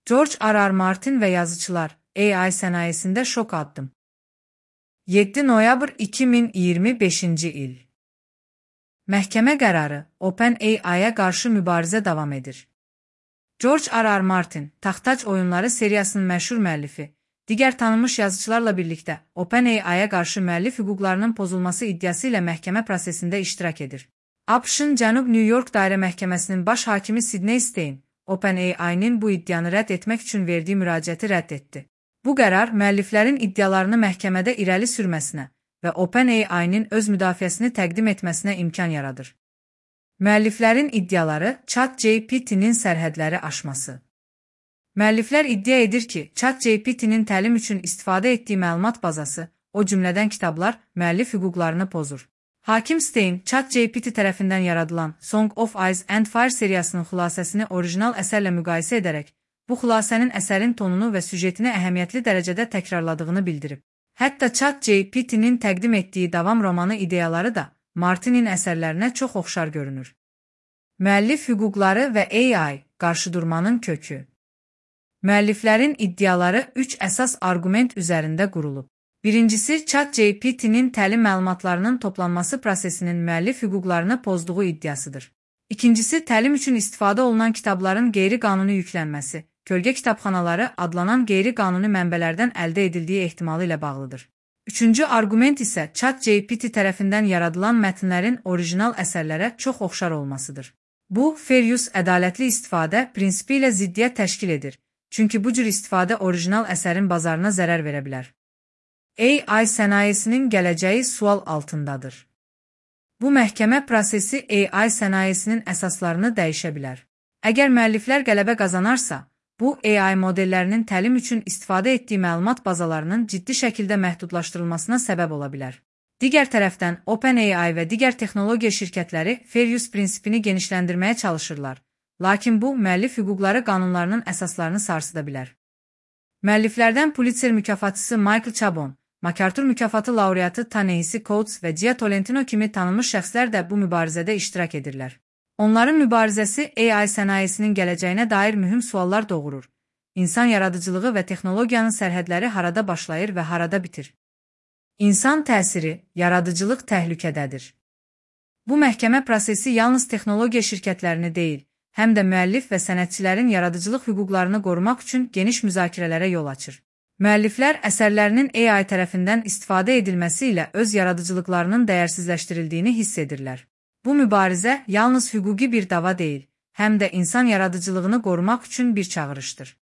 George R. R. Martin ve yazıcılar, AI sənayesində şok addım. 7 noyabr 2025 il. Məhkəmə qərarı, OpenAI-yə qarşı mübarizə davam edir. George R. R. Martin, Taxtac oyunları seriyasının məşhur müəllifi, digər tanınmış yazıcılarla birlikdə OpenAI-yə qarşı müəllif hüquqlarının pozulması iddiası ilə məhkəmə prosesində iştirak edir. ABŞ-ın Cənub New York Dairə Məhkəməsinin baş hakimi Sidney Stein, OpenAI-nin bu iddianı rədd etmək üçün verdiyi müraciəti rədd etdi. Bu qərar müəlliflərin iddialarını məhkəmədə irəli sürməsinə və OpenAI-nin öz müdafiəsini təqdim etməsinə imkan yaradır. Müəlliflərin iddiaları ChatGPT-nin sərhədləri aşması. Müəlliflər iddia edir ki, ChatGPT-nin təlim üçün istifadə etdiyi məlumat bazası, o cümlədən kitablar, müəllif hüquqlarını pozur. Hakim Stein, ChatGPT tərəfindən yaradılan Song of Ice and Fire seriyasının xülasəsini orijinal əsərlə müqayisə edərək, bu xülasənin əsərin tonunu və süjetini əhəmiyyətli dərəcədə təkrarladığını bildirib. Hətta ChatGPT-nin təqdim etdiyi davam romanı ideyaları da Martinin əsərlərinə çox oxşar görünür. Müəllif hüquqları və AI qarşıdurmanın kökü. Müəlliflərin iddiaları 3 əsas arqument üzərində qurulub. Birincisi, ChatGPT-nin təlim məlumatlarının toplanması prosesinin müəllif hüquqlarını pozduğu iddiasıdır. İkincisi, təlim üçün istifadə olunan kitabların qeyri-qanuni yüklənməsi, kölgə kitabxanaları adlanan qeyri-qanuni mənbələrdən əldə edildiyi ehtimalı ilə bağlıdır. Üçüncü arqument isə ChatGPT tərəfindən yaradılan mətnlərin orijinal əsərlərə çox oxşar olmasıdır. Bu, fair use ədalətli istifadə prinsipi ilə ziddiyyət təşkil edir, çünki bu cür istifadə orijinal əsərin bazarına zərər verə bilər. AI sənayesinin gələcəyi sual altındadır. Bu məhkəmə prosesi AI sənayesinin əsaslarını dəyişə bilər. Əgər müəlliflər qələbə qazanarsa, bu AI modellərinin təlim üçün istifadə etdiyi məlumat bazalarının ciddi şəkildə məhdudlaşdırılmasına səbəb ola bilər. Digər tərəfdən, OpenAI və digər texnologiya şirkətləri fair use prinsipini genişləndirməyə çalışırlar, lakin bu, müəllif hüquqları qanunlarının əsaslarını sarsıda bilər. Müəlliflərdən Pulitzer mükafatçısı Michael Chabon, MacArthur mükafatı laureatı Ta-Nehisi Coates və Jia Tolentino kimi tanınmış şəxslər də bu mübarizədə iştirak edirlər. Onların mübarizəsi AI sənayesinin gələcəyinə dair mühüm suallar doğurur. İnsan yaradıcılığı və texnologiyanın sərhədləri harada başlayır və harada bitir? İnsan təsiri, yaradıcılıq təhlükədədir. Bu məhkəmə prosesi yalnız texnologiya şirkətlərini deyil, həm də müəllif və sənətçilərin yaradıcılıq hüquqlarını qorumaq üçün geniş müzakirələrə yol açır. Müəlliflər əsərlərinin AI tərəfindən istifadə edilməsi ilə öz yaradıcılıqlarının dəyərsizləşdirildiyini hiss edirlər. Bu mübarizə yalnız hüquqi bir dava deyil, həm də insan yaradıcılığını qorumaq üçün bir çağırışdır.